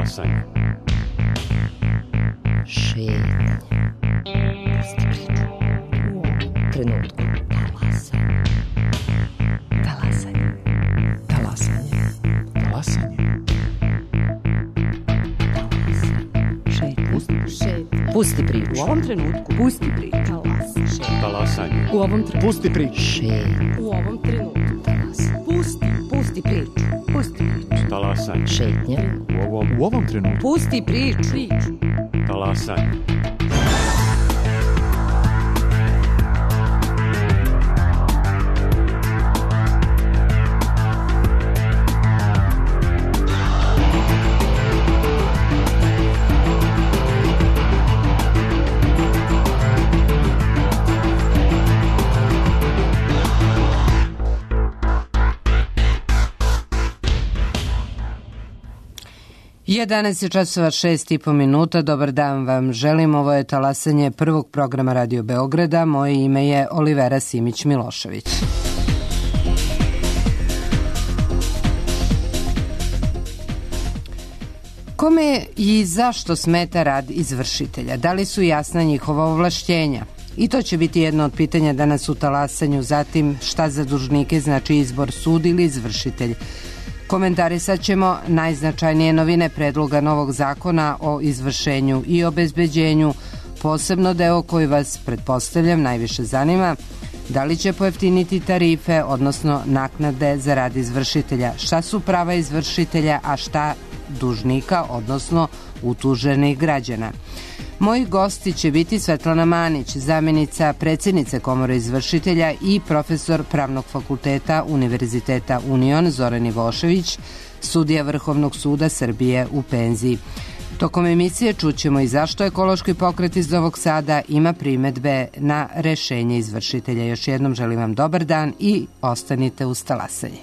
Talasanje. Šetnja. Pusti priču. U trenutku. Talasanje. Talasanje. Talasanje. Šetnja. Pusti priču. U ovom trenutku. Pusti priču. Talasanje. U ovom trenutku. Pusti priču. Šetnja. U ovom trenutku. Pusti priču. Pusti priču. Talasanje. Šetnja. U ovom trenutku. Pusti priču. Talasanje. Je 11 časova 6,5 Dobar dan vam želim. Ovo je talasanje prvog programa Radio Beograda. Moje ime je Olivera Simić-Milošević. Kome i zašto smeta rad izvršitelja? Da li su jasna njihova ovlašćenja? I to će biti jedno od pitanja danas u talasanju. Zatim, šta za dužnike znači izbor sud ili izvršitelj? Komentarisat ćemo najznačajnije novine predloga novog zakona o izvršenju i obezbeđenju, posebno deo koji vas, pretpostavljam, najviše zanima, da li će pojeftiniti tarife, odnosno naknade za rad izvršitelja, šta su prava izvršitelja, a šta dužnika, odnosno utuženih građana. Moji gosti će biti Svetlana Manić, zamjenica predsjednice Komore izvršitelja i profesor Pravnog fakulteta Univerziteta Union Zoran Ivošević, sudija Vrhovnog suda Srbije u penziji. Tokom emisije čućemo i zašto ekološki pokret iz Novog Sada ima primedbe na rešenje izvršitelja. Još jednom želim vam dobar dan i ostanite uz talasanje.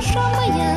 Душа моя,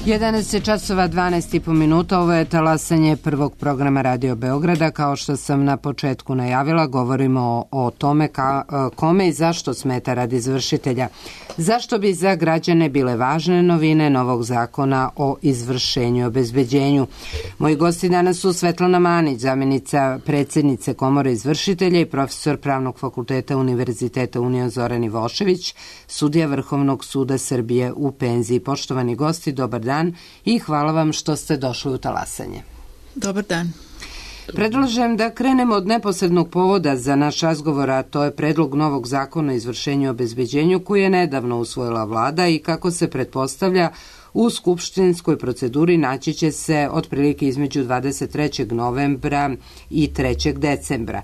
11 časova 12,5 minuta, ovo je talasanje prvog programa Radio Beograda. Kao što sam na početku najavila, govorimo o tome kome i zašto smeta rad izvršitelja. Zašto bi za građane bile važne novine novog zakona o izvršenju i obezbeđenju? Moji gosti danas su Svetlana Manić, zamjenica predsjednice Komore izvršitelja i profesor Pravnog fakulteta Univerziteta Union Zoran Ivošević, sudija Vrhovnog suda Srbije u penziji. Poštovani gosti, dobar dan i hvala vam što ste došli u talasanje. Dobar dan. Predlažem da krenemo od neposrednog povoda za naš razgovor, a to je predlog novog zakona o izvršenju i obezbeđenju koji je nedavno usvojila vlada i kako se pretpostavlja u skupštinskoj proceduri naći će se otprilike između 23. novembra i 3. decembra.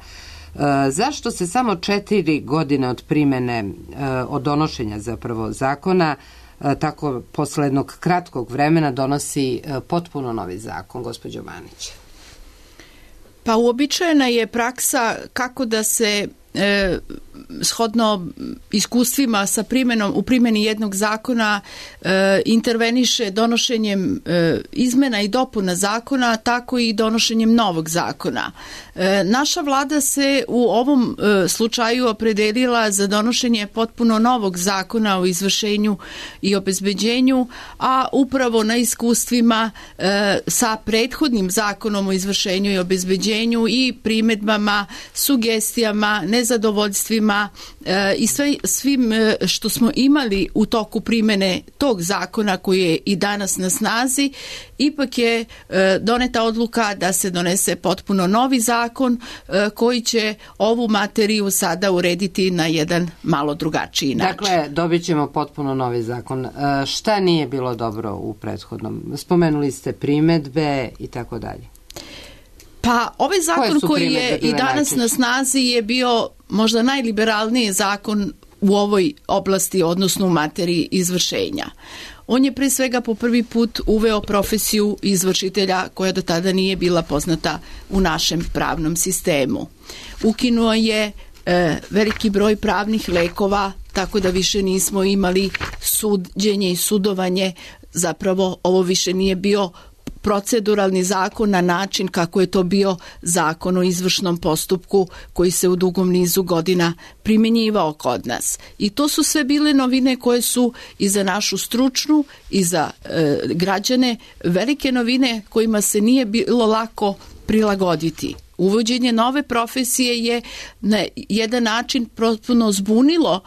Zašto se samo 4 godine od primene, od donošenja zapravo zakona, tako posle jednog kratkog vremena donosi potpuno novi zakon, gospođo Manić? Pa uobičajena je praksa kako da se shodno iskustvima sa u primjeni jednog zakona interveniše donošenjem izmena i dopuna zakona, tako i donošenjem novog zakona. Naša vlada se u ovom slučaju opredelila za donošenje potpuno novog zakona o izvršenju i obezbeđenju, a upravo na iskustvima sa prethodnim zakonom o izvršenju i obezbeđenju i primedbama, sugestijama, nezadovoljstvima i svim što smo imali u toku primene tog zakona koji je i danas na snazi, ipak je doneta odluka da se donese potpuno novi zakon koji će ovu materiju sada urediti na jedan malo drugačiji način. Dakle, dobit ćemo potpuno novi zakon. Šta nije bilo dobro u prethodnom? Spomenuli ste primedbe i tako dalje. Pa ovaj zakon koji je i danas na snazi je bio možda najliberalniji zakon u ovoj oblasti, odnosno u materiji izvršenja. On je pre svega po prvi put uveo profesiju izvršitelja koja do tada nije bila poznata u našem pravnom sistemu. Ukinuo je veliki broj pravnih lekova, tako da više nismo imali suđenje i sudovanje. Zapravo ovo više nije bio proceduralni zakon na način kako je to bio zakon o izvršnom postupku koji se u dugom nizu godina primjenjivao kod nas. I to su sve bile novine koje su i za našu stručnu i za građane velike novine kojima se nije bilo lako prilagoditi. Uvođenje nove profesije je na jedan način potpuno zbunilo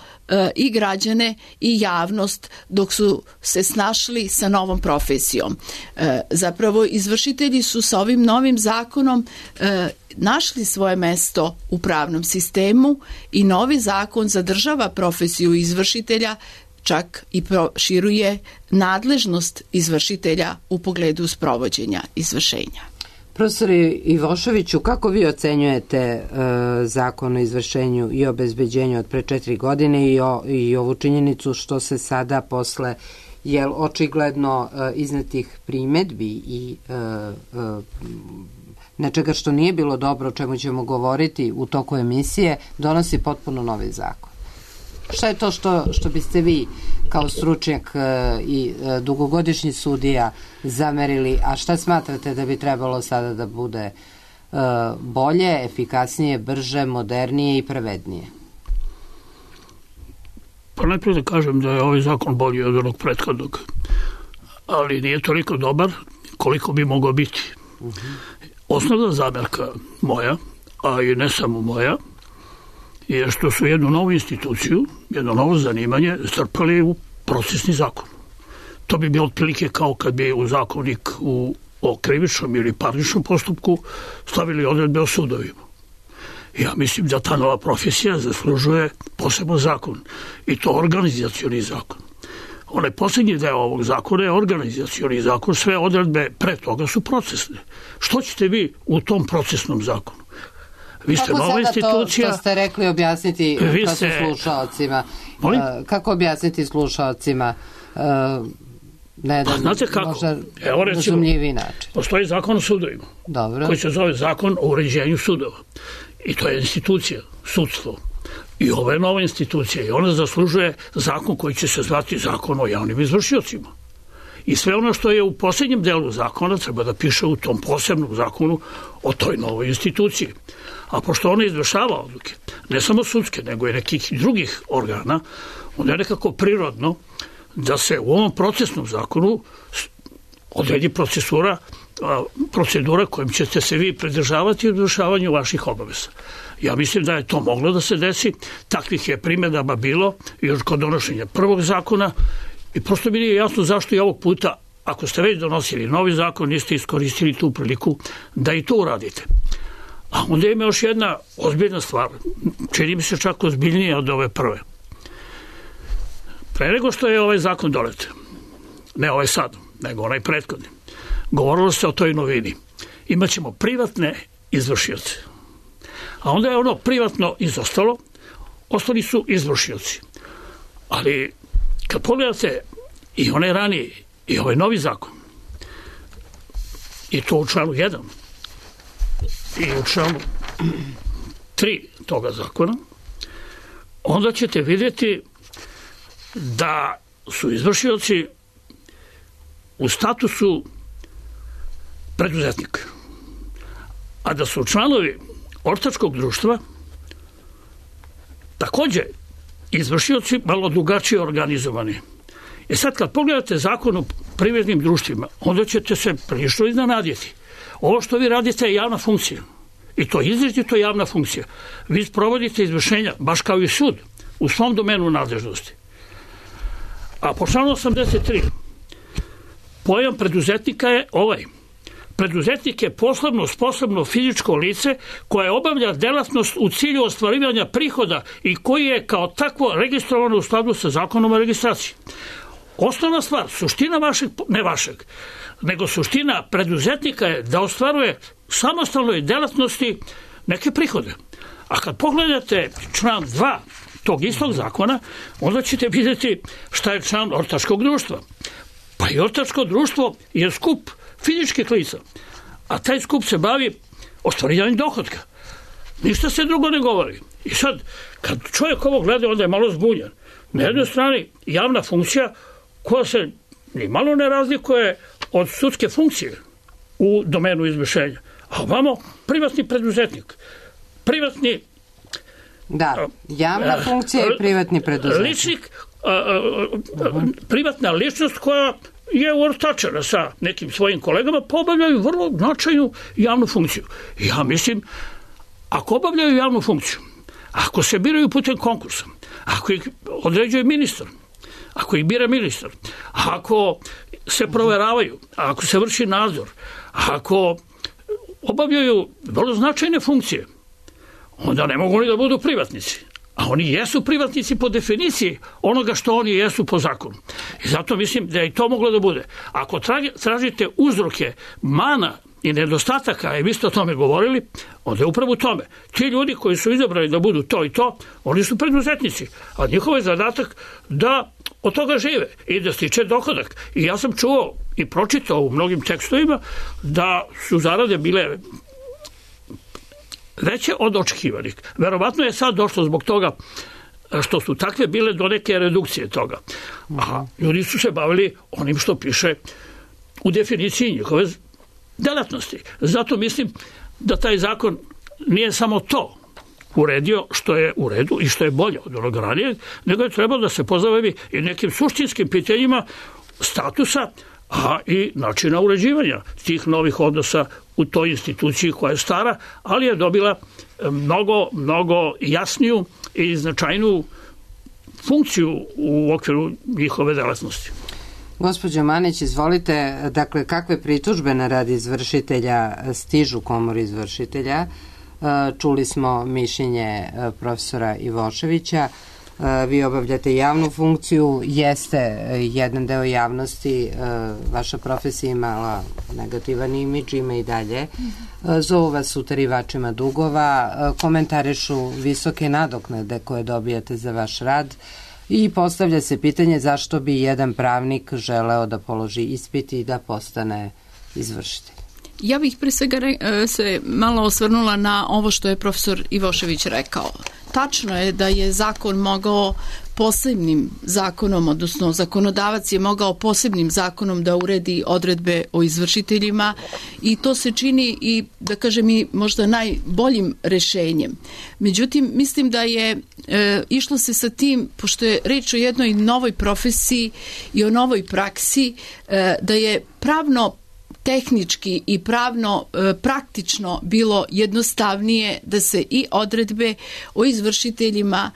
i građane i javnost dok su se snašli sa novom profesijom. Zapravo izvršitelji su sa ovim novim zakonom našli svoje mesto u pravnom sistemu i novi zakon zadržava profesiju izvršitelja, čak i proširuje nadležnost izvršitelja u pogledu sprovođenja izvršenja. Profesor Ivoševiću, kako vi ocenjujete zakon o izvršenju i obezbeđenju od pre 4 godine i ovu činjenicu što se sada posle očigledno iznetih primedbi i nečega što nije bilo dobro, o čemu ćemo govoriti u toku emisije, donosi potpuno novi zakon? Šta je to što biste vi kao stručnjak i dugogodišnji sudija zamerili, a šta smatrate da bi trebalo sada da bude bolje, efikasnije, brže, modernije i pravednije? Pa najprije da kažem da je ovaj zakon bolji od onog prethodnog, ali nije toliko dobar koliko bi mogao biti. Osnovna zamerka moja, a i ne samo moja, je što su jednu novu instituciju, jedno novo zanimanje strpali u procesni zakon. To bi bilo otprilike kao kad bi u zakonik o krivičnom ili parničnom postupku stavili odredbe o sudovima. Ja mislim da ta nova profesija zaslužuje poseban zakon i to organizacioni zakon. Onaj posljednji deo ovog zakona je organizacioni zakon, sve odredbe pre toga su procesne. Što ćete vi u tom procesnom zakonu? Vi ste nova institucija. To ste rekli objasniti slušaocima? Kako objasniti slušaocima na jedan možda razumljiviji način? Postoji zakon o sudovima. Dobro. Koji se zove zakon o uređenju sudova. I to je institucija, sudstvo. I ovo je nova institucija i ona zaslužuje zakon koji će se zvati zakon o javnim izvršiocima. I sve ono što je u posljednjem delu zakona treba da piše u tom posebnom zakonu o toj novoj instituciji. A pošto ona izvršava odluke, ne samo sudske, nego i nekih drugih organa, onda je nekako prirodno da se u ovom procesnom zakonu odredi procedura kojim ćete se vi pridržavati u izvršavanju vaših obaveza. Ja mislim da je to moglo da se desi, takvih je primjedaba bilo još kod donošenja prvog zakona i prosto mi nije jasno zašto i ovog puta, ako ste već donosili novi zakon, niste iskoristili tu priliku da i to uradite. A onda ima još jedna ozbiljna stvar, čini mi se čak ozbiljnija od ove prve. Pre nego što je ovaj zakon donet, ne ovaj sad, nego onaj prethodni, govorilo se o toj novini. Imaćemo privatne izvršioce. A onda je ono privatno izostalo, ostali su izvršioci. Ali kad pogledate i one ranije i ovaj novi zakon, i to u članu 1 i u članu 3 toga zakona, onda ćete vidjeti da su izvršioci u statusu preduzetnika, a da su članovi ortačkog društva takođe izvršioci malo drugačije organizovani. I sad kad pogledate zakon o privrednim društvima, onda ćete se prilično iznenaditi. Ovo što vi radite je javna funkcija. I to izrazito javna funkcija. Vi sprovodite izvršenja, baš kao i sud, u svom domenu nadležnosti. A po članu 83 pojam preduzetnika je ovaj. Preduzetnik je poslovno sposobno fizičko lice koje obavlja delatnost u cilju ostvarivanja prihoda i koji je kao takvo registrovano u skladu sa zakonom o registraciji. Osnovna stvar, suština vašeg, ne vašeg, nego suština preduzetnika je da ostvaruje samostalnoj delatnosti neke prihode. A kad pogledate član 2 tog istog zakona, onda ćete vidjeti šta je član ortačkog društva. Pa i ortačko društvo je skup fizičkih lica, a taj skup se bavi ostvarivanjem dohotka. Ništa se drugo ne govori. I sad, kad čovjek ovo gleda, onda je malo zbunjen. Na jednoj strani javna funkcija koja se ni malo ne razlikuje od sudske funkcije u domenu izvršenja. A ovamo privatni preduzetnik. Privatni... Da, javna funkcija i privatni preduzetnik. Ličnik, privatna ličnost koja je ortačena sa nekim svojim kolegama, pa obavljaju vrlo značajnu javnu funkciju. Ja mislim, ako obavljaju javnu funkciju, ako se biraju putem konkursa, ako ih određuje ministar, ako ih bira ministar, ako se proveravaju, ako se vrši nadzor, ako obavljaju vrlo značajne funkcije, onda ne mogu oni da budu privatnici. A oni jesu privatnici po definiciji onoga što oni jesu po zakonu. I zato mislim da je i to moglo da bude. Ako tražite uzroke mana i nedostataka, i vi ste o tome govorili, onda je upravo u tome. Ti ljudi koji su izabrali da budu to i to, oni su preduzetnici. A njihov je zadatak da od toga žive i da stiče dohodak. I ja sam čuo i pročitao u mnogim tekstovima da su zarade bile veće od očekivanih. Verovatno je sad došlo zbog toga što su takve bile do neke redukcije toga. A ljudi su se bavili onim što piše u definiciji njihove delatnosti. Zato mislim da taj zakon nije samo to uredio što je u redu i što je bolje od onog ranijeg, nego je trebalo da se pozabavi i nekim suštinskim pitanjima statusa, a i načina uređivanja tih novih odnosa u toj instituciji koja je stara, ali je dobila mnogo jasniju i značajnu funkciju u okviru njihove delatnosti. Gospođo Manić, izvolite, dakle, kakve pritužbe na rad izvršitelja stižu Komori izvršitelja? Čuli smo mišljenje profesora Ivoševića. Vi obavljate javnu funkciju, jeste jedan deo javnosti, vaša profesija imala negativan imidž, ima i dalje. Zovu vas utarivačima dugova, komentarišu visoke nadoknade koje dobijate za vaš rad i postavlja se pitanje zašto bi jedan pravnik želeo da položi ispit i da postane izvršitelj. Ja bih pre svega se malo osvrnula na ovo što je profesor Ivošević rekao. Tačno je da je zakon mogao posebnim zakonom, odnosno zakonodavac je mogao posebnim zakonom da uredi odredbe o izvršiteljima i to se čini i, da kažem, i možda najboljim rešenjem. Međutim, mislim da je išlo se sa tim, pošto je reč o jednoj novoj profesiji i o novoj praksi, da je pravno tehnički i pravno praktično bilo jednostavnije da se i odredbe o izvršiteljima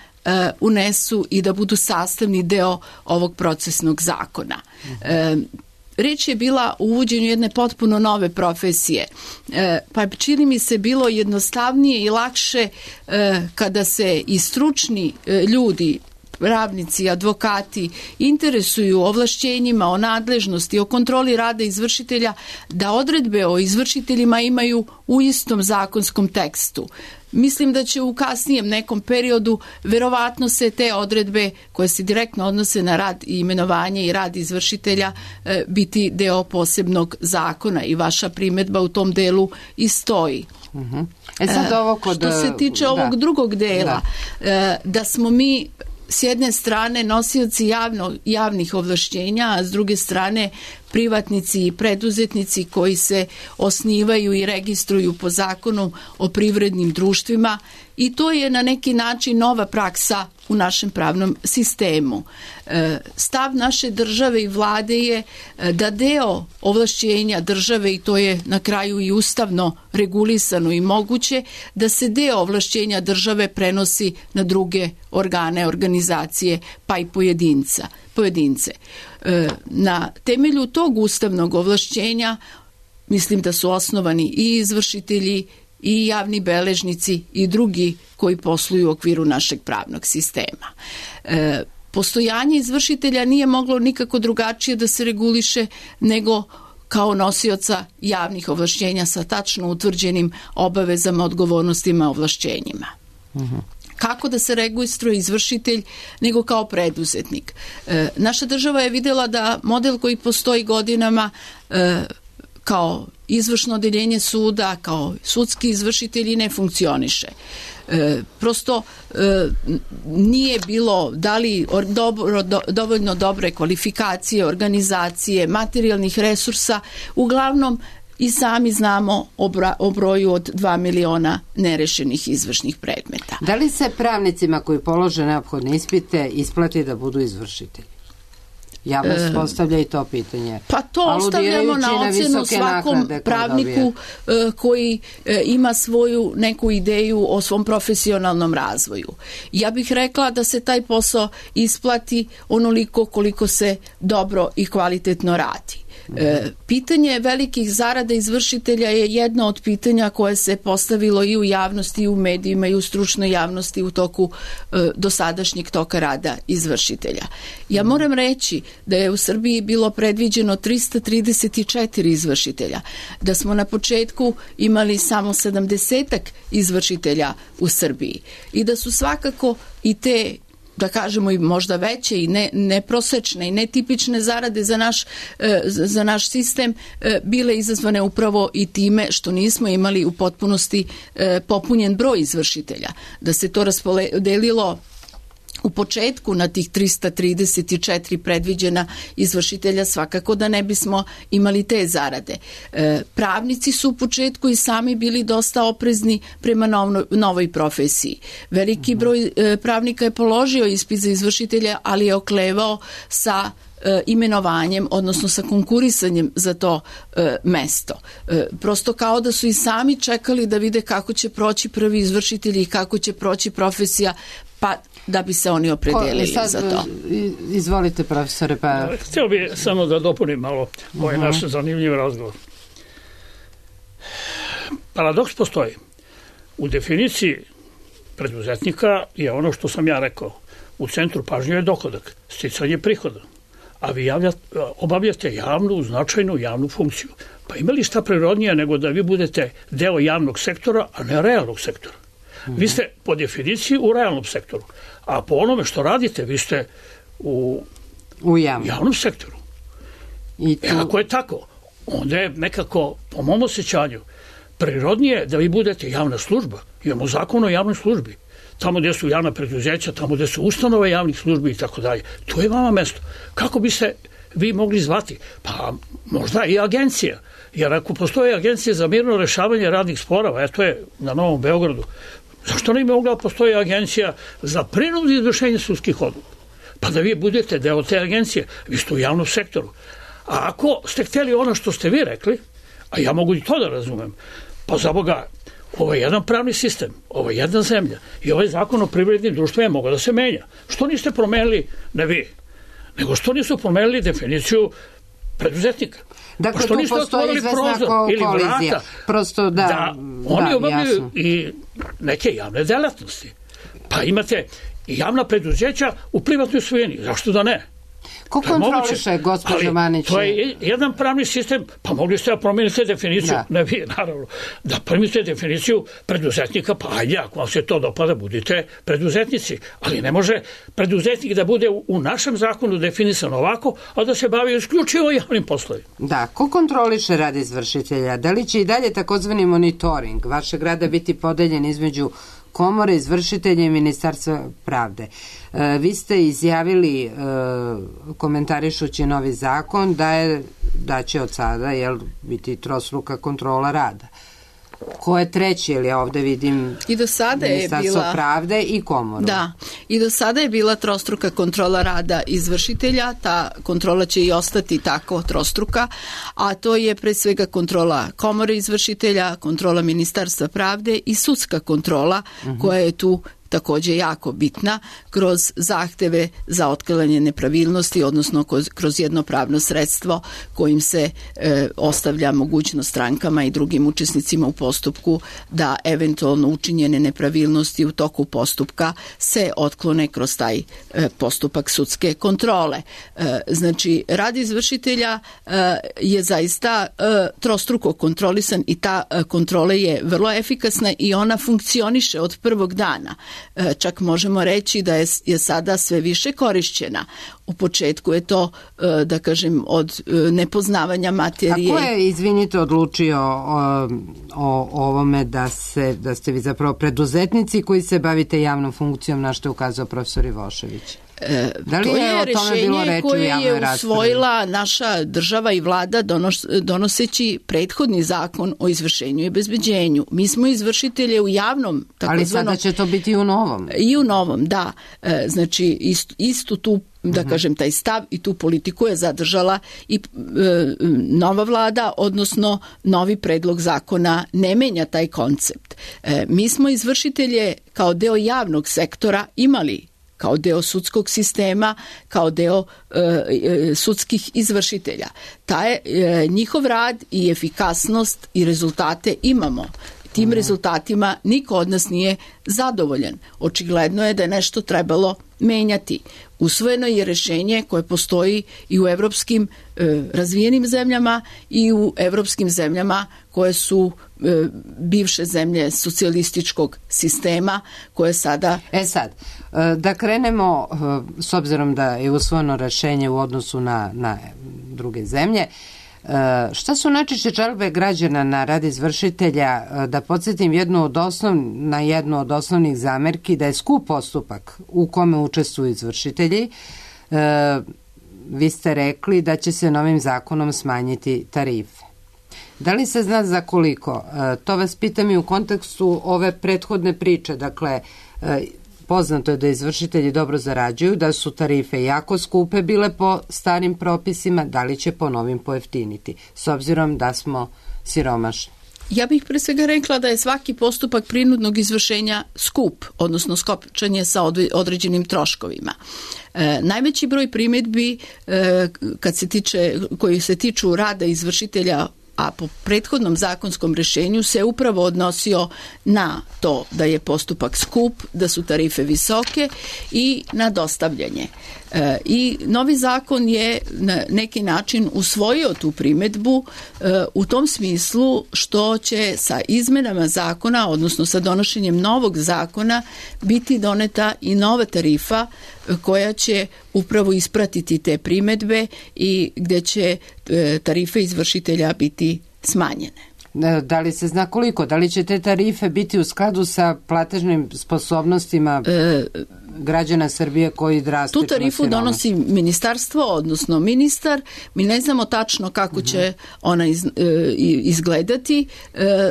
unesu i da budu sastavni deo ovog procesnog zakona. Reč je bila o uvođenju jedne potpuno nove profesije, pa čini mi se bilo jednostavnije i lakše kada se i stručni ljudi, pravnici, advokati interesuju o ovlašćenjima, o nadležnosti, o kontroli rada izvršitelja, da odredbe o izvršiteljima imaju u istom zakonskom tekstu. Mislim da će u kasnijem nekom periodu verovatno se te odredbe koje se direktno odnose na rad i imenovanje i rad izvršitelja biti deo posebnog zakona i vaša primedba u tom delu i stoji. Sad ovo što se tiče ovog drugog dela, da smo mi s jedne strane nosioci javnih ovlašćenja, a s druge strane privatnici i preduzetnici koji se osnivaju i registruju po zakonu o privrednim društvima, i to je na neki način nova praksa u našem pravnom sistemu. Stav naše države i vlade je da deo ovlašćenja države, i to je na kraju i ustavno regulisano i moguće, da se deo ovlašćenja države prenosi na druge organe, organizacije, pa i pojedince. Na temelju tog ustavnog ovlašćenja mislim da su osnovani i izvršitelji i javni beležnici i drugi koji posluju u okviru našeg pravnog sistema. Postojanje izvršitelja nije moglo nikako drugačije da se reguliše nego kao nosioca javnih ovlašćenja sa tačno utvrđenim obavezama, odgovornostima, ovlašćenjima. Kako da se registruje izvršitelj nego kao preduzetnik? Naša država je videla da model koji postoji godinama kao izvršno odeljenje suda, kao sudski izvršitelji ne funkcioniše. Prosto nije bilo dovoljno dobre kvalifikacije, organizacije, materijalnih resursa, uglavnom i sami znamo o broju od 2 miliona nerešenih izvršnih predmeta. Da li se pravnicima koji polože neophodne ispite isplati da budu izvršitelji? Javnost postavlja i to pitanje. Pa to ostavljamo na ocenu svakom pravniku koji ima svoju neku ideju o svom profesionalnom razvoju. Ja bih rekla da se taj posao isplati onoliko koliko se dobro i kvalitetno radi. Pitanje velikih zarada izvršitelja je jedno od pitanja koje se postavilo i u javnosti, i u medijima, i u stručnoj javnosti u toku dosadašnjeg toka rada izvršitelja. Ja moram reći da je u Srbiji bilo predviđeno 334 izvršitelja, da smo na početku imali samo 70 izvršitelja u Srbiji i da su svakako i te, da kažemo, i možda veće i neprosečne i netipične zarade za naš sistem bile izazvane upravo i time što nismo imali u potpunosti popunjen broj izvršitelja. Da se to raspodelilo u početku na tih 334 predviđena izvršitelja, svakako da ne bismo imali te zarade. Pravnici su u početku i sami bili dosta oprezni prema novoj profesiji. Veliki broj pravnika je položio ispit za izvršitelja, ali je oklevao sa imenovanjem, odnosno sa konkurisanjem za to mesto. Prosto kao da su i sami čekali da vide kako će proći prvi izvršitelji i kako će proći profesija, pa da bi se oni opredelili za to. Izvolite, profesore. Htio bih samo da dopunim malo ovaj naš zanimljiv razgovor. Paradoks postoji. U definiciji preduzetnika je ono što sam ja rekao. U centru pažnje je dohodak, sticanje prihoda. A vi obavljate javnu, značajnu javnu funkciju. Pa ima li šta prirodnije nego da vi budete deo javnog sektora, a ne realnog sektora? Vi ste po definiciji u realnom sektoru, a po onome što radite vi ste u javnom sektoru. Ako je tako, onda je nekako, po mom osjećanju, prirodnije da vi budete javna služba. Imamo zakon o javnoj službi. Tamo gdje su javna preduzeća, tamo gdje su ustanove javnih službi i tako dalje. To je vama mesto. Kako bi se vi mogli zvati? Pa možda i agencija. Jer ako postoje agencije za mirno rešavanje radnih sporova, eto je na Novom Beogradu, zašto ne bi mogla postoji agencija za prinudno izvršenje sudskih odluka? Pa da vi budete deo te agencije, vi ste u javnom sektoru. A ako ste htjeli ono što ste vi rekli, a ja mogu i to da razumem, pa za Boga, ovo je jedan pravni sistem, ovo je jedna zemlja i ovaj zakon o privrednim društvima je mogao da se menja. Što niste promenili, ne vi, nego što nisu promenili definiciju preduzetnika? Dakle, tu postoji izvesna kolizija. Prosto da oni obavljaju i neke javne delatnosti. Pa imate i javna preduzeća u privatnoj svojini. Zašto da ne? Ko kontroliše, gospođo Manić? To je jedan pravni sistem, pa mogli ste da promijenite definiciju, ne vi, naravno, da promijenite definiciju preduzetnika, pa ajde, ako vam se to dopada, budite preduzetnici, ali ne može preduzetnik da bude u našem zakonu definisan ovako, a da se bavi isključivo javnim poslovima. Da, ko kontroliše rad izvršitelja? Da li će i dalje takozvani monitoring vašeg rada biti podeljen između Komore izvršitelja i Ministarstva pravde? Vi ste izjavili, komentarišući novi zakon, da će od sada biti trostruka kontrola rada. Ko je treći, jer ja ovde vidim Ministarstvo pravde i Komoru. Da, i do sada je bila trostruka kontrola rada izvršitelja, ta kontrola će i ostati tako trostruka, a to je pre svega kontrola Komore izvršitelja, kontrola Ministarstva pravde i sudska kontrola koja je tu takođe jako bitna kroz zahteve za otklanjanje nepravilnosti, odnosno kroz jedno pravno sredstvo kojim se ostavlja mogućnost strankama i drugim učesnicima u postupku da eventualno učinjene nepravilnosti u toku postupka se otklone kroz taj postupak sudske kontrole. Znači, rad izvršitelja je zaista trostruko kontrolisan i ta kontrola je vrlo efikasna i ona funkcioniše od prvog dana. Čak možemo reći da je sada sve više korišćena. U početku je to, da kažem, od nepoznavanja materije. A ko je, izvinite, odlučio o ovome da ste vi zapravo preduzetnici koji se bavite javnom funkcijom, na što je ukazao profesor Ivošević? To je rešenje koje je usvojila naša država i vlada donoseći prethodni zakon o izvršenju i obezbeđenju. Mi smo izvršitelje u javnom takozvanom... Ali sada će to biti i u novom. I u novom, da. Znači, istu tu, da kažem, taj stav i tu politiku je zadržala i nova vlada, odnosno novi predlog zakona ne menja taj koncept. Mi smo izvršitelje kao deo javnog sektora imali kao deo sudskog sistema, kao deo sudskih izvršitelja. Njihov rad i efikasnost i rezultate imamo. Tim rezultatima niko od nas nije zadovoljan. Očigledno je da je nešto trebalo menjati. Usvojeno je rešenje koje postoji i u evropskim razvijenim zemljama i u evropskim zemljama koje su bivše zemlje socijalističkog sistema koje sada... Sad, da krenemo, s obzirom da je usvojeno rešenje u odnosu na druge zemlje, šta su najčešće žalbe građana na rad izvršitelja? Da podsjetim na jednu od osnovnih zamerki da je skup postupak u kome učestvuju izvršitelji. Vi ste rekli da će se novim zakonom smanjiti tarife. Da li se zna za koliko? To vas pitam i u kontekstu ove prethodne priče. Dakle, poznato je da izvršitelji dobro zarađuju, da su tarife jako skupe bile po starim propisima, da li će po novim pojeftiniti, s obzirom da smo siromašni? Ja bih pre svega rekla da je svaki postupak prinudnog izvršenja skup, odnosno skopčanje sa određenim troškovima. Najveći broj primjedbi koji se tiču rada izvršitelja, a po prethodnom zakonskom rešenju se upravo odnosio na to da je postupak skup, da su tarife visoke i na dostavljanje. I novi zakon je na neki način usvojio tu primedbu u tom smislu što će sa izmenama zakona, odnosno sa donošenjem novog zakona, biti doneta i nova tarifa koja će upravo ispratiti te primedbe i gde će tarife izvršitelja biti smanjene. Da li se zna koliko? Da li će te tarife biti u skladu sa platežnim sposobnostima građana Srbije koji drastično tu tarifu donosi ministarstvo, odnosno ministar. Mi ne znamo tačno kako će ona izgledati.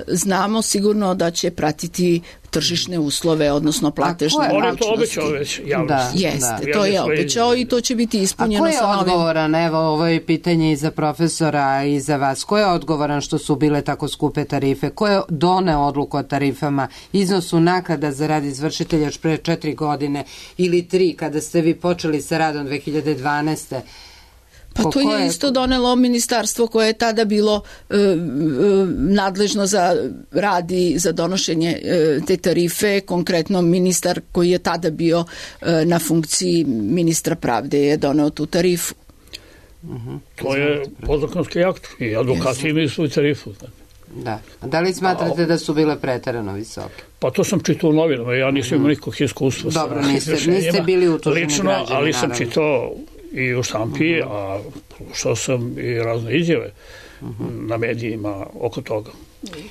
Znamo sigurno da će pratiti tržišne uslove, odnosno platežne mogućnosti. On je to obećao već javnosti. Jeste, to je obećao i to će biti ispunjeno sa novim. A ko je odgovoran? Evo, ovo je pitanje i za profesora i za vas. Ko je odgovoran što su bile tako skupe tarife? Ko je doneo odluku o tarifama, iznosu naknada za rad izvršitelja još pre 4 godine ili 3 kada ste vi počeli sa radom 2012. Pa to je isto donelo ministarstvo koje je tada bilo nadležno za rad i za donošenje te tarife, konkretno ministar koji je tada bio na funkciji ministra pravde je doneo tu tarifu. To je podzakonski akt i advokati imaju svoju tarifu. Da. A da li smatrate da su bile preterano visoke? Pa to sam čitao u novinama, ja nisam imao nikog iskustva. Dobro, niste bili utuženi lično, građani, ali sam naravno. Čitao i u štampi, a slušao sam i razne izjave na medijima oko toga.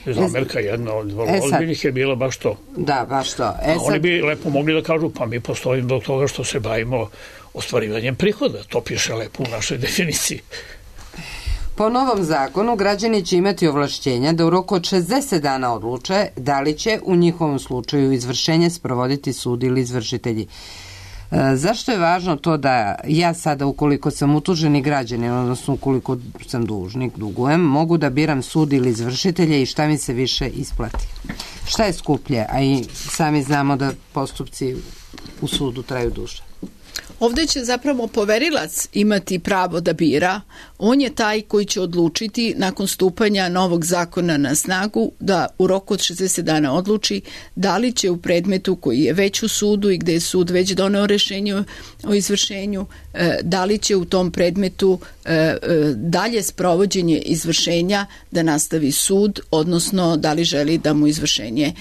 Zamerka jedna od vrlo ozbiljnih je bila baš to. Da, baš to. Oni bi lepo mogli da kažu, pa mi postojimo zbog toga što se bavimo ostvarivanjem prihoda. To piše lepo u našoj definiciji. Po novom zakonu građani će imati ovlašćenja da u roku od 60 dana odluče da li će u njihovom slučaju izvršenje sprovoditi sud ili izvršitelji. Zašto je važno to da ja sada, ukoliko sam utuženi građanin, odnosno ukoliko sam dužnik, dugujem, mogu da biram sud ili izvršitelje i šta mi se više isplati? Šta je skuplje? A i sami znamo da postupci u sudu traju duže. Ovdje će zapravo poverilac imati pravo da bira. On je taj koji će odlučiti nakon stupanja novog zakona na snagu da u roku od 60 dana odluči da li će u predmetu koji je već u sudu i gde je sud već doneo rješenje o izvršenju, da li će u tom predmetu dalje sprovođenje izvršenja da nastavi sud, odnosno da li želi da mu izvršenje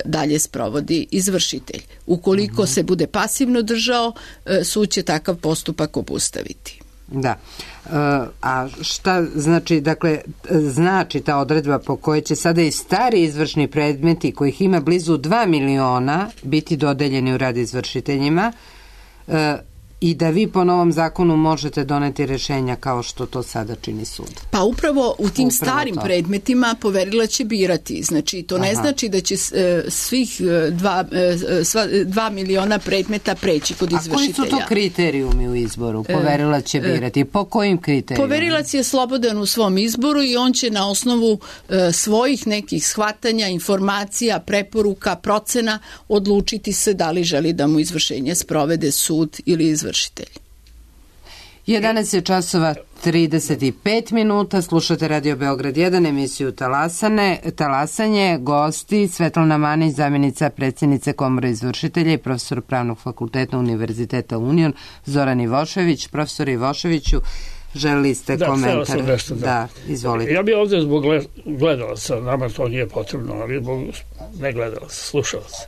dalje sprovodi izvršitelj. Ukoliko se bude pasivno držao, sud će takav postupak obustaviti. Da. A šta znači, dakle, znači ta odredba po kojoj će sada i stari izvršni predmeti kojih ima blizu 2 miliona biti dodeljeni u rad izvršiteljima i da vi po novom zakonu možete doneti rješenja kao što to sada čini sud. Pa upravo u tim starim predmetima poverilac će birati. Znači, to ne znači da će svih 2 miliona predmeta preći kod izvršitelja. A koji su to kriterijumi u izboru? Poverilac će birati. Po kojim kriterijumima? Poverilac je slobodan u svom izboru i on će na osnovu svojih nekih shvatanja, informacija, preporuka, procena odlučiti se da li želi da mu izvršenje sprovede sud ili izvršitelj. 11 je časova 35 minuta, slušate Radio Beograd 1, emisiju Talasanje, gosti Svetlana Manić, zamjenica predsjednice Komore izvršitelja i profesor Pravnog fakulteta Univerziteta Union, Zoran Ivošević. Profesor Ivoševiću, želili ste komentar? Da, izvolite. Ja bih ovdje zbog gledalaca, nama to nije potrebno, ali zbog ne gledalaca, slušalaca,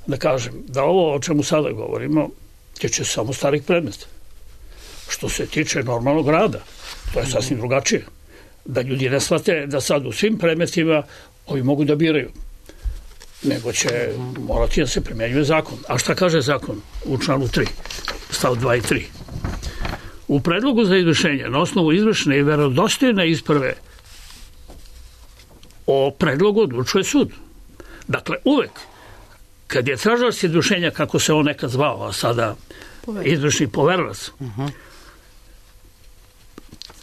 da kažem da ovo o čemu sada govorimo tiče samo starih predmeta. Što se tiče normalnog rada, to je sasvim drugačije. Da ljudi ne shvate da sad u svim predmetima ovi mogu da biraju, nego će morati da se primjenjuje zakon. A šta kaže zakon u članu 3, stav 2 i 3? U predlogu za izvršenje na osnovu izvršne i verodostojne isprave o predlogu odlučuje sud. Dakle, uvek kad je tražilac izvršenja, kako se on nekad zvao, a sada izvršni poverilac,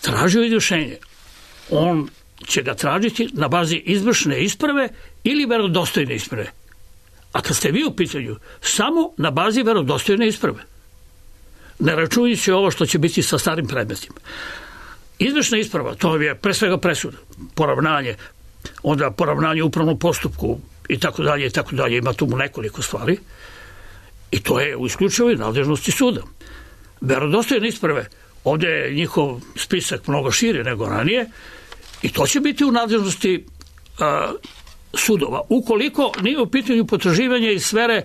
tražio izvršenje, on će ga tražiti na bazi izvršne isprave ili verodostojne isprave. A kad ste vi u pitanju, samo na bazi verodostojne isprave. Ne računajući ovo što će biti sa starim predmetima. Izvršna isprava, to je pre svega presuda, poravnanje, onda poravnanje u upravnom postupku i tako dalje, ima tu nekoliko stvari i to je u isključivoj nadležnosti suda. verodostojne isprave, ovdje je njihov spisak mnogo širi nego ranije i to će biti u nadležnosti sudova, ukoliko nije u pitanju potraživanje iz sfere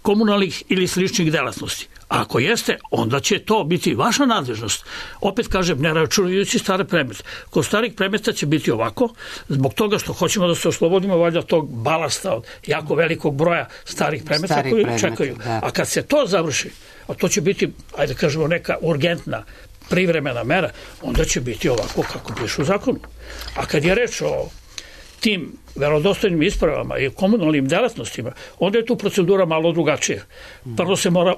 komunalnih ili sličnih delatnosti. A ako jeste, onda će to biti vaša nadležnost. Opet kažem, ne računajući stare predmete. Kod starih predmeta će biti ovako, zbog toga što hoćemo da se oslobodimo valjda tog balasta od jako velikog broja starih predmeta koji čekaju. Da. A kad se to završi, a to će biti, ajde kažemo, neka urgentna privremena mera, onda će biti ovako kako piše u zakonu. A kad je reč o tim verodostojnim ispravama i komunalnim delatnostima, onda je tu procedura malo drugačija. Prvo se mora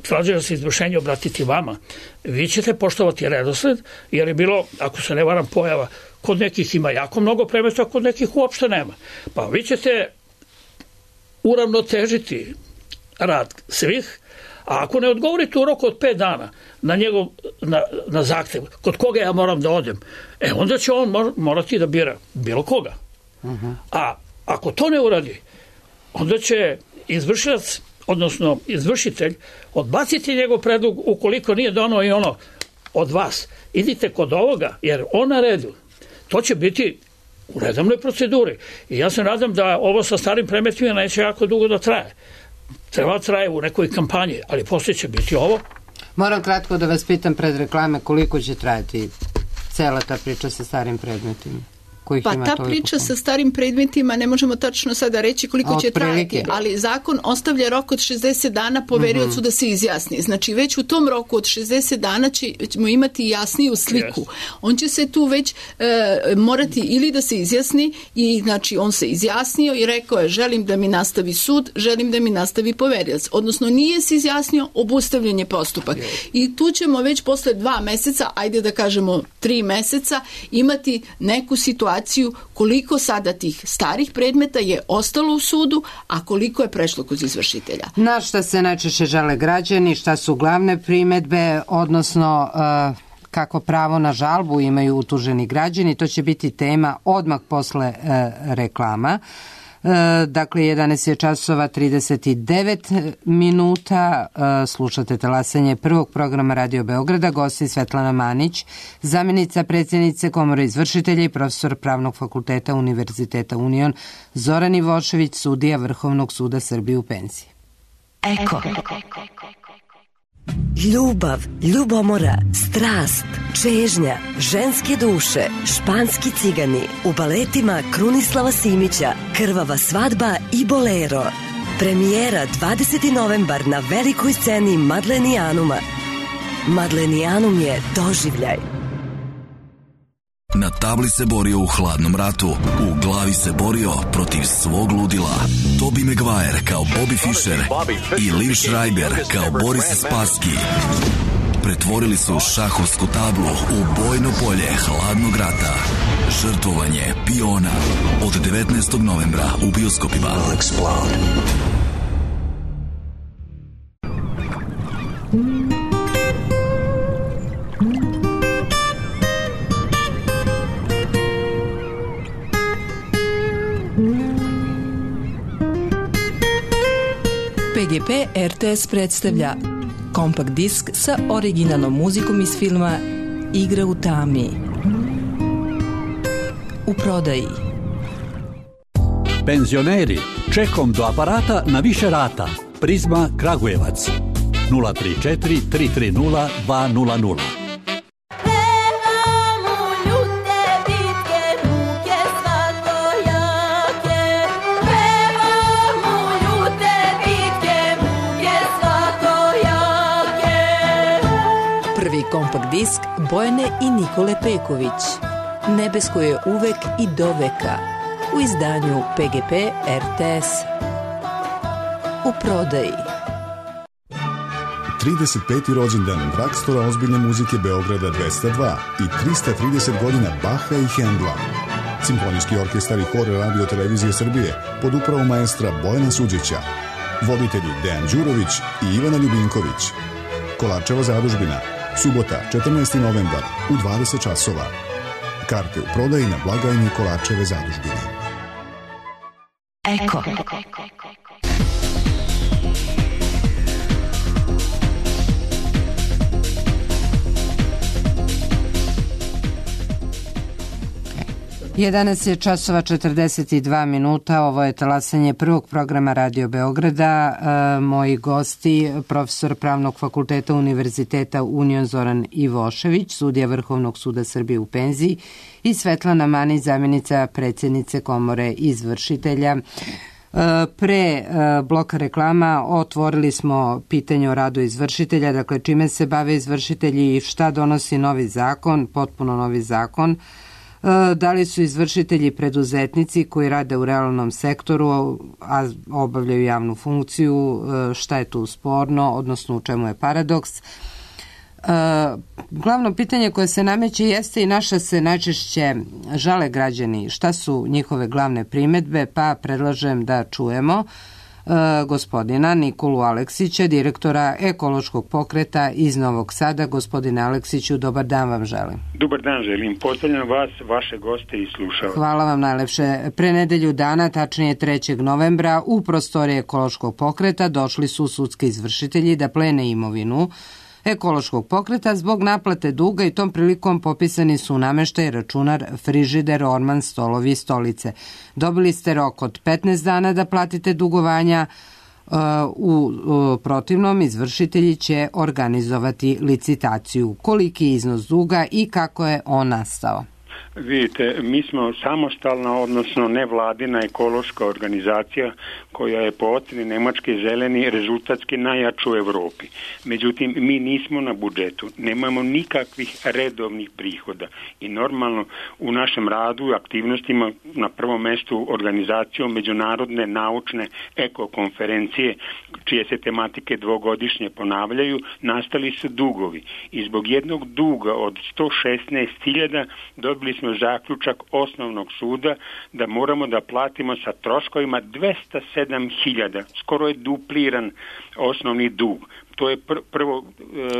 tražio se izvršenje obratiti vama. Vi ćete poštovati redosled, jer je bilo, ako se ne varam, pojava, kod nekih ima jako mnogo predmeta, kod nekih uopšte nema. Pa vi ćete uravnotežiti rad svih, a ako ne odgovorite u roku od 5 dana na zahtev, kod koga ja moram da odem, onda će on morati da bira bilo koga. A ako to ne uradi, onda će izvršilac, odnosno izvršitelj, odbaciti njegov predlog ukoliko nije donao i ono od vas. Idite kod ovoga, jer on na redu. To će biti u redovnoj proceduri. I ja se nadam da ovo sa starim predmetima neće jako dugo da traje. Treba traje u nekoj kampanji, ali poslije će biti ovo. Moram kratko da vas pitam pred reklame koliko će trajati cela ta priča sa starim predmetima. Pa ta priča sa starim predmetima ne možemo tačno sada reći koliko će trajati, ali zakon ostavlja rok od 60 dana poveriocu da se izjasni. Znači već u tom roku od 60 dana ćemo imati jasniju sliku. On će se tu već morati ili da se izjasni i znači on se izjasnio i rekao je želim da mi nastavi sud, želim da mi nastavi poverioc. Odnosno nije se izjasnio, obustavljen je postupak. I tu ćemo već posle 2 meseca, ajde da kažemo 3 meseca, imati neku situaciju koliko sada tih starih predmeta je ostalo u sudu, a koliko je prešlo kod izvršitelja. Na šta se najčešće žale građani, šta su glavne primedbe, odnosno kako pravo na žalbu imaju utuženi građani, to će biti tema odmah posle reklama. Dakle, 11 je časova 39 minuta, slušate talasanje prvog programa Radio Beograda, gosti Svetlana Manić, zamjenica predsjednice Komore izvršitelja i profesor Pravnog fakulteta Univerziteta Union, Zoran Ivošević, sudija Vrhovnog suda Srbije u penziji. Eko. Ljubav, ljubomora, strast, čežnja, ženske duše, španski cigani, u baletima Krunislava Simića, Krvava svadba i Bolero. Premijera 20. novembar na velikoj sceni Madlenijanuma. Madlenijanum je doživljaj. Na tabli se borio u hladnom ratu, u glavi se borio protiv svog ludila. Tobey Maguire kao Bobby Fischer i Liv Schreiber kao Boris Spassky pretvorili su šahovsku tablu u bojno polje hladnog rata. Žrtvovanje piona od 19. novembra u bioskopima. PGP RTS predstavlja kompakt disk sa originalnom muzikom iz filma Igra u tami. U prodaji. Penzioneri, čekom do aparata na više rata. Prizma Kragujevac 034 330 200. Kompakt disk Bojane i Nikole Peković. Nebesko je uvek i doveka. U izdanju PGP RTS. U prodaji. 35. rođendan Dragstora ozbiljne muzike Beograda 202 i 330 godina Baha i Hendla. Simfonijski orkestar i hor Radio Televizije Srbije pod upravom maestra Bojana Suđića. Voditelji Dejan Đurović i Ivana Ljubinković. Kolarčeva zadužbina. Subota, 14. novembar, u 20 časova. Karte u prodaji na blagajni Kolarčeve zadužbine. Eko. 11 je časova 42 minuta, ovo je talasanje prvog programa Radio Beograda. Moji gosti, profesor Pravnog fakulteta Univerziteta Union Zoran Ivošević, sudija Vrhovnog suda Srbije u penziji, i Svetlana Manić, zamjenica predsjednice Komore izvršitelja. Pre bloka reklama otvorili smo pitanje o radu izvršitelja, dakle čime se bave izvršitelji i šta donosi novi zakon, potpuno novi zakon. Da li su izvršitelji preduzetnici koji rade u realnom sektoru, a obavljaju javnu funkciju, šta je tu sporno, odnosno u čemu je paradoks. Glavno pitanje koje se nameće jeste i naša se najčešće žale građani šta su njihove glavne primedbe, pa predlažem da čujemo gospodina Nikolu Aleksića, direktora ekološkog pokreta iz Novog Sada. Gospodine Aleksiću, dobar dan vam želim. Dobar dan želim. Pozdravljam vas, vaše goste i slušalce. Hvala vam najlepše. Pre nedelju dana, tačnije 3. novembra, u prostorije ekološkog pokreta došli su sudski izvršitelji da plene imovinu ekološkog pokreta zbog naplate duga i tom prilikom popisani su nameštaj, računar, frižider, orman, stolovi i stolice. Dobili ste rok od 15 dana da platite dugovanja, u protivnom izvršitelji će organizovati licitaciju. Koliki je iznos duga i kako je on nastao? Vidite, mi smo samostalna, odnosno nevladina ekološka organizacija koja je po ocjeni Nemačke zeleni rezultatski najjača u Evropi. Međutim, mi nismo na budžetu, nemamo nikakvih redovnih prihoda i normalno u našem radu i aktivnostima na prvom mjestu organizacijom međunarodne naučne ekokonferencije, čije se tematike dvogodišnje ponavljaju, nastali su dugovi i zbog jednog duga od 116.000 dobili smo zaključak osnovnog suda da moramo da platimo sa troškovima 207.000, skoro je dupliran osnovni dug. To je prvo...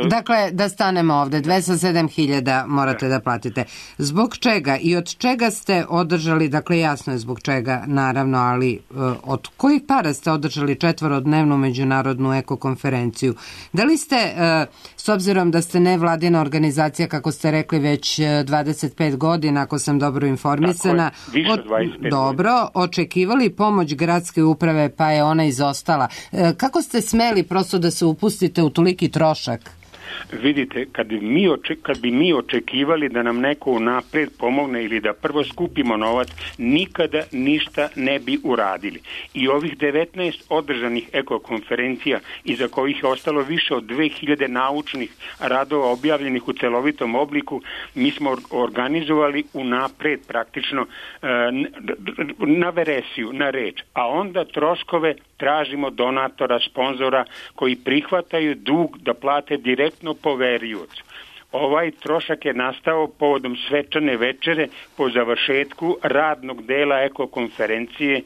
Dakle, da stanemo ovde, 207.000 morate da platite. Zbog čega i od čega ste održali, dakle jasno je zbog čega naravno, ali od kojih para ste održali 4-dnevnu međunarodnu ekokonferenciju? Da li ste, s obzirom da ste nevladina organizacija, kako ste rekli, već 25 godina, ako sam dobro informisana, više od 25 dobro, očekivali pomoć gradske uprave, pa je ona izostala. Kako ste smeli prosto da se upustite u toliki trošak? Vidite, kad bi mi očekivali da nam neko unapred pomogne ili da prvo skupimo novac, nikada ništa ne bi uradili. I ovih 19 održanih ekokonferencija, iza kojih je ostalo više od 2000 naučnih radova objavljenih u celovitom obliku, mi smo organizovali unapred praktično na veresiju, na reč. A onda troškove tražimo donatora, sponzora koji prihvataju dug da plate direktno poveriocu. Ovaj trošak je nastao povodom svečane večere po završetku radnog dela ekokonferencije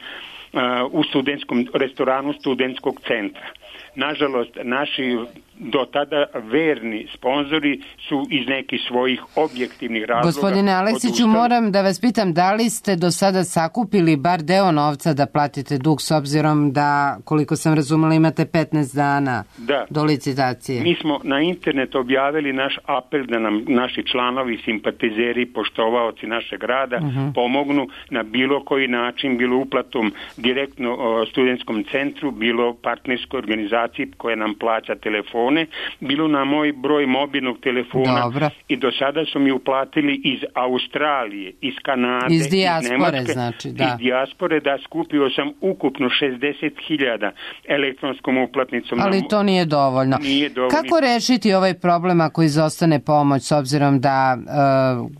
u studentskom restoranu studentskog centra. Nažalost, naši do tada verni sponzori su iz nekih svojih objektivnih razloga... Gospodine Aleksiću, moram da vas pitam, da li ste do sada sakupili bar deo novca da platite dug, s obzirom da, koliko sam razumela, imate 15 dana do licitacije? Mi smo na internet objavili naš apel da nam naši članovi, simpatizeri, poštovaoci našeg rada pomognu na bilo koji način, bilo uplatom direktno studentskom centru, bilo partnerskoj organizaciji koja nam plaća telefone, bilo na moj broj mobilnog telefona. Dobro. I do sada su mi uplatili iz Australije, iz Kanade, iz dijaspore, Nemačke, znači, da. Iz dijaspore, da, skupio sam ukupno 60.000 elektronskom uplatnicom. Ali to nije dovoljno. Nije dovoljno. Kako rešiti ovaj problem ako izostane pomoć, s obzirom da,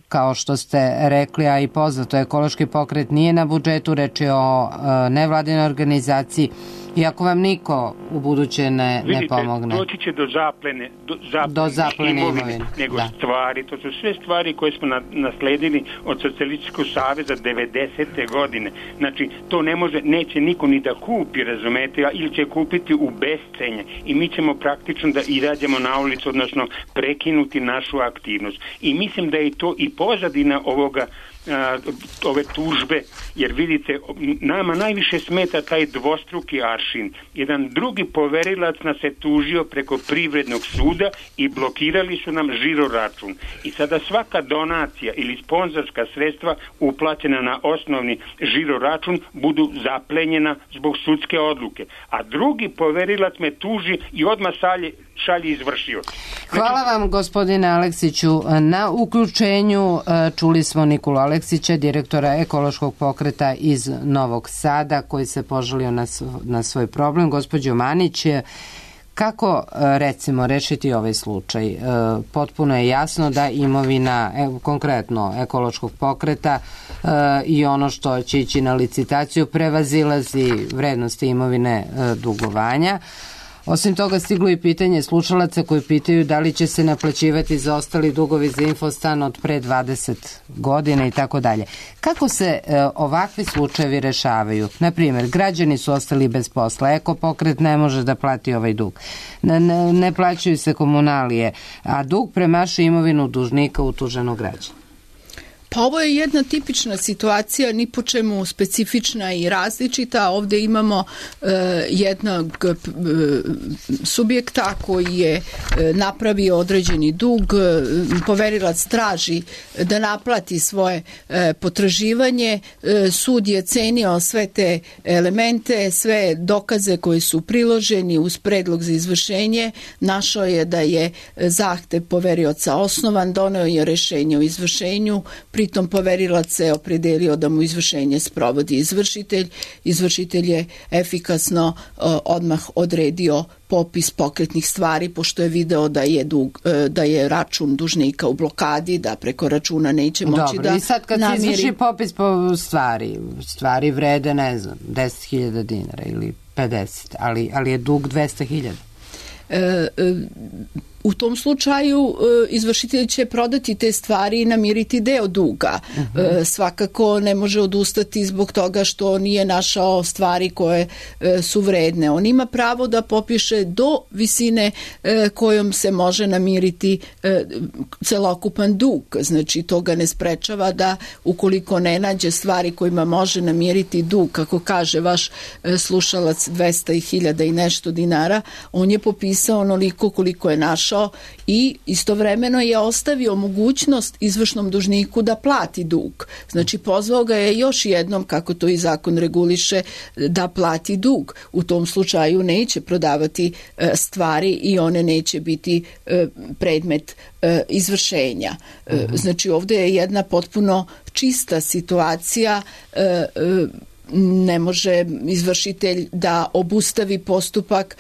kao što ste rekli, a i poznato, ekološki pokret nije na budžetu, reč je o nevladinoj organizaciji, i ako vam niko u buduće ne pomogne? Doći će do zaplene imovine. Nego stvari, to su sve stvari koje smo nasledili od Socijalističkog saveza 90. godine. Znači, to neće niko ni da kupi, razumete, ili će kupiti u bescenje. I mi ćemo praktično da izađemo na ulicu, odnosno prekinuti našu aktivnost. I mislim da je to i pozadina ovoga ove tužbe, jer vidite, nama najviše smeta taj dvostruki aršin. Jedan drugi poverilac nas je tužio preko Privrednog suda i blokirali su nam žiro račun. I sada svaka donacija ili sponzorska sredstva uplaćena na osnovni žiro račun budu zaplenjena zbog sudske odluke. A drugi poverilac me tuži i odmah šalje izvršioc. Hvala vam, gospodine Aleksiću, na uključenju. Čuli smo Nikolu Aleksića, direktora ekološkog pokreta iz Novog Sada, koji se požalio na svoj problem. Gospođo Manić, kako, recimo, rešiti ovaj slučaj? Potpuno je jasno da imovina, konkretno ekološkog pokreta i ono što će ići na licitaciju prevazilazi vrednosti imovine dugovanja. Osim toga, stiglo i pitanje slušalaca koji pitaju da li će se naplaćivati zaostali dugovi za Infostan od pre 20 godina i tako dalje. Kako se ovakvi slučajevi rešavaju? Naprimjer, građani su ostali bez posla, ekopokret ne može da plati ovaj dug, ne plaćaju se komunalije, a dug premašuje imovinu dužnika utuženog građana. Pa ovo je jedna tipična situacija, ni po čemu specifična i različita. Ovdje imamo jednog subjekta koji je napravio određeni dug, poverilac traži da naplati svoje potraživanje, sud je cenio sve te elemente, sve dokaze koji su priloženi uz predlog za izvršenje, našao je da je zahtev poverioca osnovan, doneo je rešenje o izvršenju, pritom poverilac se opredelio da mu izvršenje sprovodi izvršitelj. Izvršitelj je efikasno odmah odredio popis pokretnih stvari, pošto je video da je račun dužnika u blokadi, da preko računa neće moći da namiri. Dobro, i sad kad se izvrši popis po stvari vrede, ne znam, 10.000 dinara ili 50, ali je dug 200.000. U tom slučaju izvršitelj će prodati te stvari i namiriti deo duga. Svakako ne može odustati zbog toga što nije našao stvari koje su vredne. On ima pravo da popiše do visine kojom se može namiriti celokupan dug. Znači, to ga ne sprečava da ukoliko ne nađe stvari kojima može namiriti dug, kako kaže vaš slušalac, 200.000 i nešto dinara, on je popisao onoliko koliko je našao i istovremeno je ostavio mogućnost izvršnom dužniku da plati dug. Znači, pozvao ga je još jednom, kako to i zakon reguliše, da plati dug. U tom slučaju neće prodavati stvari i one neće biti predmet izvršenja. Znači, ovdje je jedna potpuno čista situacija. Ne može izvršitelj da obustavi postupak,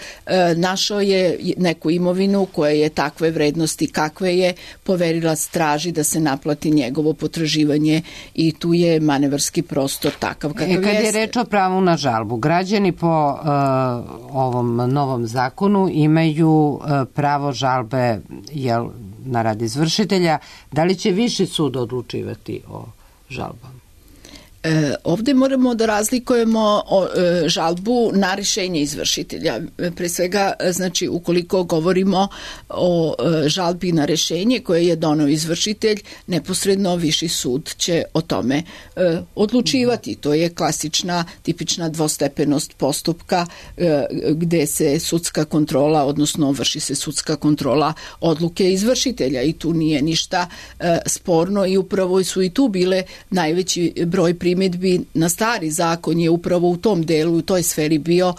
našao je neku imovinu koja je takve vrednosti kakve je, poverilac traži da se naplati njegovo potraživanje i tu je manevarski prostor takav kakav jeste. Kad je reč o pravu na žalbu, građani po ovom novom zakonu imaju pravo žalbe na rad izvršitelja. Da li će viši sud odlučivati o žalbama? Ovdje moramo da razlikujemo žalbu na rješenje izvršitelja. Pre svega, znači, ukoliko govorimo o žalbi na rješenje koje je doneo izvršitelj, neposredno viši sud će o tome odlučivati. To je klasična, tipična dvostepenost postupka gde se sudska kontrola, odnosno vrši se sudska kontrola odluke izvršitelja i tu nije ništa sporno i upravo su i tu bile najveći broj primjedbi na stari zakon je upravo u tom delu, u toj sferi bio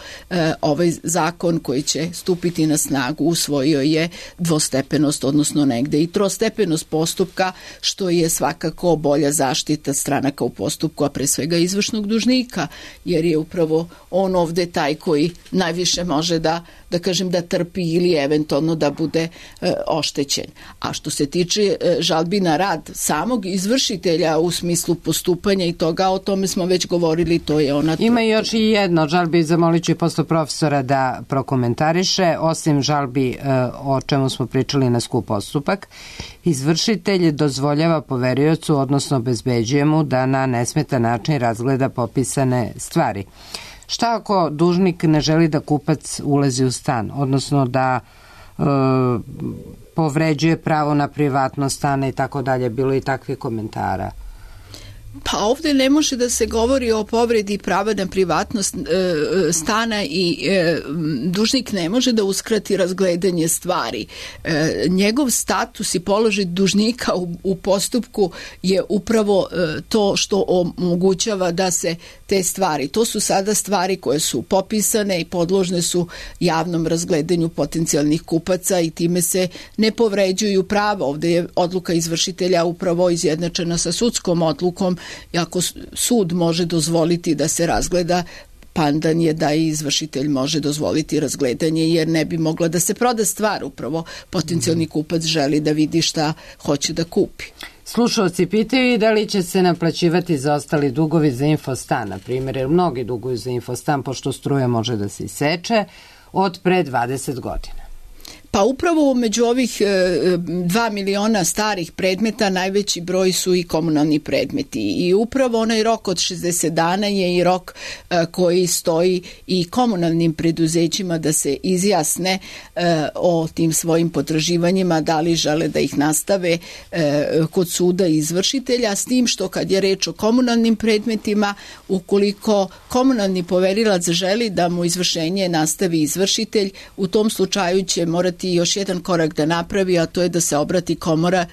ovaj zakon koji će stupiti na snagu, usvojio je dvostepenost, odnosno negde i trostepenost postupka, što je svakako bolja zaštita stranaka u postupku, a pre svega izvršnog dužnika, jer je upravo on ovde taj koji najviše može da kažem da trpi ili eventualno da bude oštećen. A što se tiče žalbi na rad samog izvršitelja u smislu postupanja i toga, o tome smo već govorili, to je ona... Ima još i jedno žalbi, zamolit ću i posle profesora da prokomentariše, osim žalbi o čemu smo pričali na skup postupak, izvršitelj dozvoljava poveriocu, odnosno obezbeđuje mu da na nesmetan način razgleda popisane stvari. Šta ako dužnik ne želi da kupac ulazi u stan, odnosno da povređuje pravo na privatnost stana i tako dalje, bilo i takvih komentara? Pa ovdje ne može da se govori o povredi prava na privatnost stana i dužnik ne može da uskrati razgledanje stvari. Njegov status i položaj dužnika u postupku je upravo to što omogućava da se te stvari, to su sada stvari koje su popisane i podložne su javnom razgledanju potencijalnih kupaca i time se ne povređuju prava. Ovdje je odluka izvršitelja upravo izjednačena sa sudskom odlukom i ako sud može dozvoliti da se razgleda, pandan je da i izvršitelj može dozvoliti razgledanje jer ne bi mogla da se proda stvar. Upravo potencijalni kupac želi da vidi šta hoće da kupi. Slušalci pitaju da li će se naplaćivati zaostali dugovi za Infostan, na primjer, jer mnogi duguju za Infostan pošto struja može da se iseče od pre 20 godina. Pa upravo među ovih 2 miliona starih predmeta najveći broj su i komunalni predmeti i upravo onaj rok od 60 dana je i rok koji stoji i komunalnim preduzećima da se izjasne o tim svojim potraživanjima, da li žele da ih nastave kod suda i izvršitelja, s tim što kad je reč o komunalnim predmetima, ukoliko komunalni poverilac želi da mu izvršenje nastavi izvršitelj, u tom slučaju će morati još jedan korak da napravi, a to je da se obrati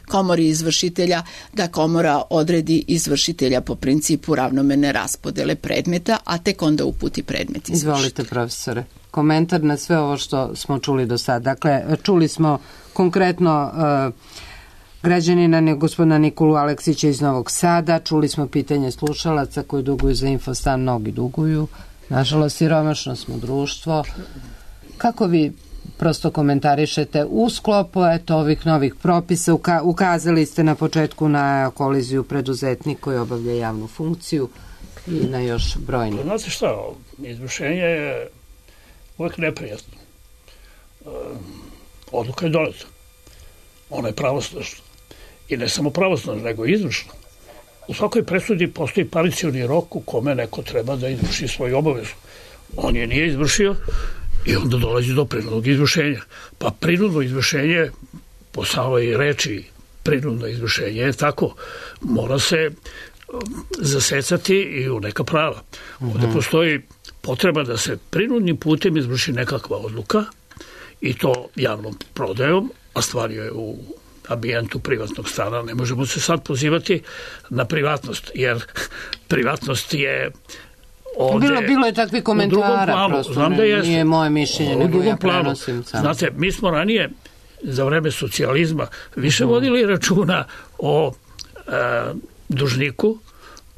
komori izvršitelja, da komora odredi izvršitelja po principu ravnomerne raspodele predmeta, a tek onda uputi predmet izvršitelja. Izvolite, profesore. Komentar na sve ovo što smo čuli do sada. Dakle, čuli smo konkretno građanina gospodina Nikolu Aleksića iz Novog Sada, čuli smo pitanje slušalaca koji duguju za Infostan, mnogi duguju. Nažalost, siromašno smo društvo. Kako vi prosto komentarišete u sklopu ovih novih propisa? Ukazali ste na početku na koliziju preduzetnik koji obavlja javnu funkciju i na još brojni. Znate šta, izvršenje je uvijek neprijatno. Odluka je doneta. Ona je pravosnažna. I ne samo pravosnažna, nego i izvršna. U svakoj presudi postoji paricioni rok u kome neko treba da izvrši svoju obavezu. On je nije izvršio i onda dolazi do prinudnog izvršenja. Pa prinudno izvršenje, po samoj reči prinudno izvršenje je tako, mora se zasecati i u neka prava. Ovdje postoji potreba da se prinudnim putem izvrši nekakva odluka i to javnom prodajom, a stvar je u ambijentu privatnog stana. Ne možemo se sad pozivati na privatnost, jer privatnost je Bilo je takvi komentara, prosto nije moje mišljenje, nego ja prenosim sam. Znate, mi smo ranije za vreme socijalizma više vodili računa o dužniku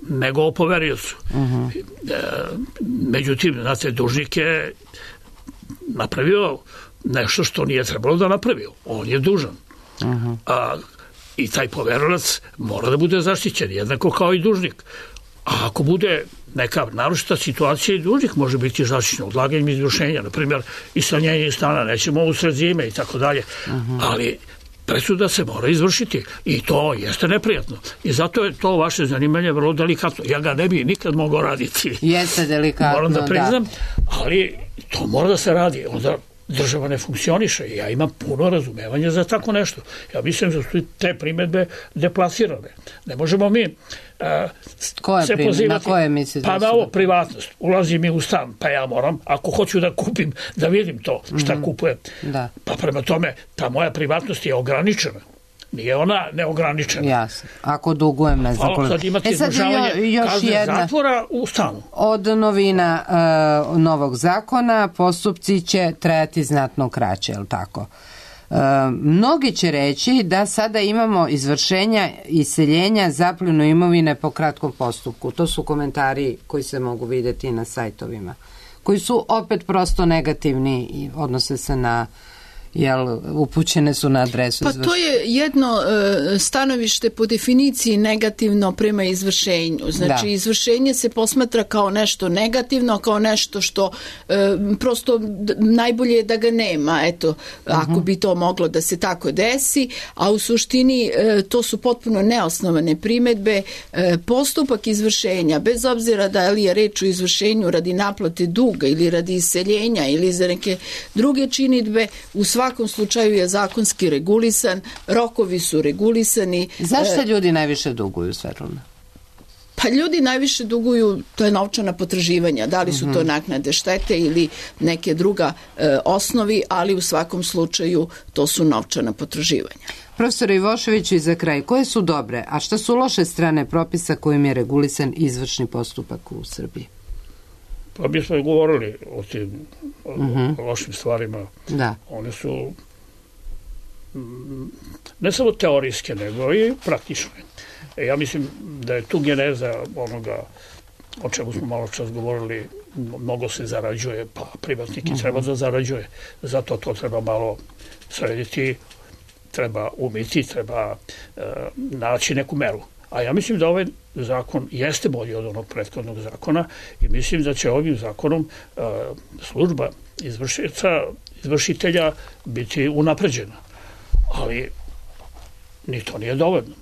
nego o poveriocu. Međutim, znate, dužnik je napravio nešto što nije trebalo da napravio. On je dužan. I taj poverilac mora da bude zaštićen, jednako kao i dužnik. A ako bude neka naročita situacija, i dužnik može biti zaštićen odlaganjem izvršenja, na primjer iseljenje stana, nećemo usred zime i tako dalje, ali presuda se mora izvršiti i to jeste neprijatno. I zato je to vaše zanimanje vrlo delikatno. Ja ga ne bi nikad mogao raditi. Jeste delikatno, moram da priznam, ali to mora da se radi. Onda država ne funkcioniše i ja imam puno razumevanja za tako nešto. Ja mislim da su te primedbe deplasirane. Ne možemo mi se pozivati. Na koje mislite? Pa na ovo privatnost. Ulazi mi u stan, pa ja moram, ako hoću da kupim, da vidim to šta kupujem. Pa prema tome, ta moja privatnost je ograničena. Nije ona neograničena. Jasno. Ako dugujem, ne znam koliko. Sad imate izdržavanje kazne zatvora u stanu. Od novina novog zakona postupci će trajati znatno kraće, je li tako? Mnogi će reći da sada imamo izvršenja iseljenja, zapljenu imovine po kratkom postupku. To su komentari koji se mogu vidjeti na sajtovima, koji su opet prosto negativni i odnose se na upućene su na adresu. Pa to je jedno stanovište po definiciji negativno prema izvršenju. Znači, izvršenje se posmatra kao nešto negativno, kao nešto što prosto najbolje je da ga nema, eto, ako bi to moglo da se tako desi, a u suštini to su potpuno neosnovane primedbe. Postupak izvršenja, bez obzira da li je reč o izvršenju radi naplate duga ili radi iseljenja ili za neke druge činidbe, u svakom slučaju je zakonski regulisan, rokovi su regulisani. Zašto ljudi najviše duguju, Svetlana? Pa ljudi najviše duguju, to je novčana potraživanja, da li su to naknade štete ili neke druga osnovi, ali u svakom slučaju to su novčana potraživanja. Profesor Ivošević, i za kraj, koje su dobre, a šta su loše strane propisa kojim je regulisan izvršni postupak u Srbiji? Pa mi smo govorili o tim lošim stvarima. Da. One su ne samo teorijske, nego i praktične. Ja mislim da je tu geneza onoga o čemu smo malo čas govorili, mnogo se zarađuje, pa privatnik i treba da zarađuje. Zato to treba malo srediti, treba umiti, treba naći neku meru. A ja mislim da ovaj zakon jeste bolji od onog prethodnog zakona i mislim da će ovim zakonom služba izvršitelja biti unapređena. Ali ni to nije dovoljno.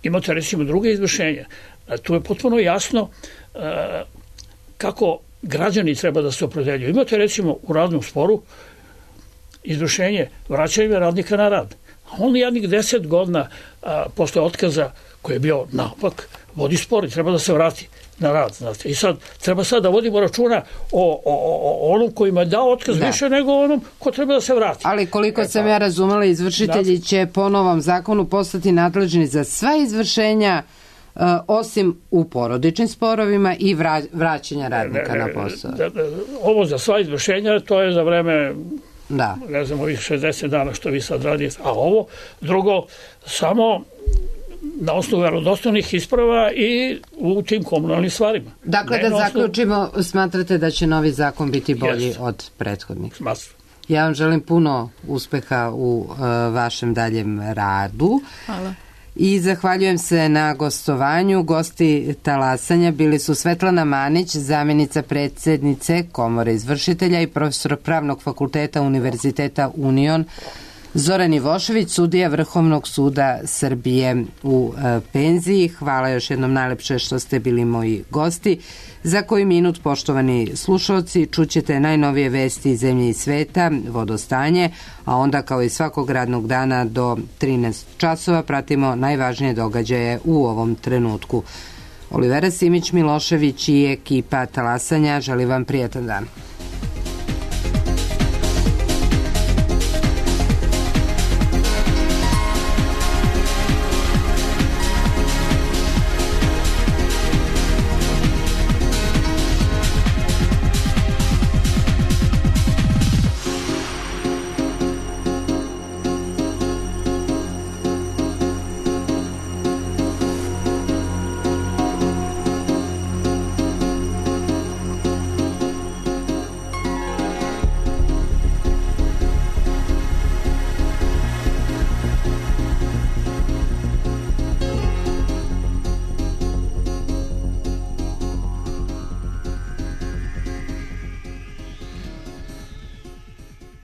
Imate recimo druge izvršenje. Tu je potpuno jasno kako građani treba da se opredeljuju. Imate recimo u radnom sporu izvršenje vraćanja radnika na rad. On jednih 10 godina posle otkaza koji je bio naopak vodi spor i treba da se vrati na rad. Znate. I sad treba da vodimo računa o onom kojima je dao otkaz više nego onom ko treba da se vrati. Ali koliko sam ja razumela, izvršitelji će po novom zakonu postati nadležni za sva izvršenja osim u porodičnim sporovima i vraćanja radnika na posao. Ovo za sva izvršenja, to je za vreme ne znam, ovih 60 dana što vi sad radite, a ovo drugo samo na osnovu verodostojnih isprava i u tim komunalnim stvarima. Dakle, da zaključimo, smatrate da će novi zakon biti bolji od prethodnih? Smatram. Ja vam želim puno uspeha u vašem daljem radu. Hvala. I zahvaljujem se na gostovanju. Gosti talasanja bili su Svetlana Manić, zamjenica predsjednice Komore izvršitelja i profesor Pravnog fakulteta Univerziteta Union, Zoran Ivošević, sudija Vrhovnog suda Srbije u penziji. Hvala još jednom najlepše što ste bili moji gosti. Za koji minut, poštovani slušalci, čućete najnovije vesti iz zemlje i sveta, vodostanje, a onda kao i svakog radnog dana do 13 časova pratimo najvažnije događaje u ovom trenutku. Olivera Simić Milošević i ekipa talasanja želi vam prijatan dan.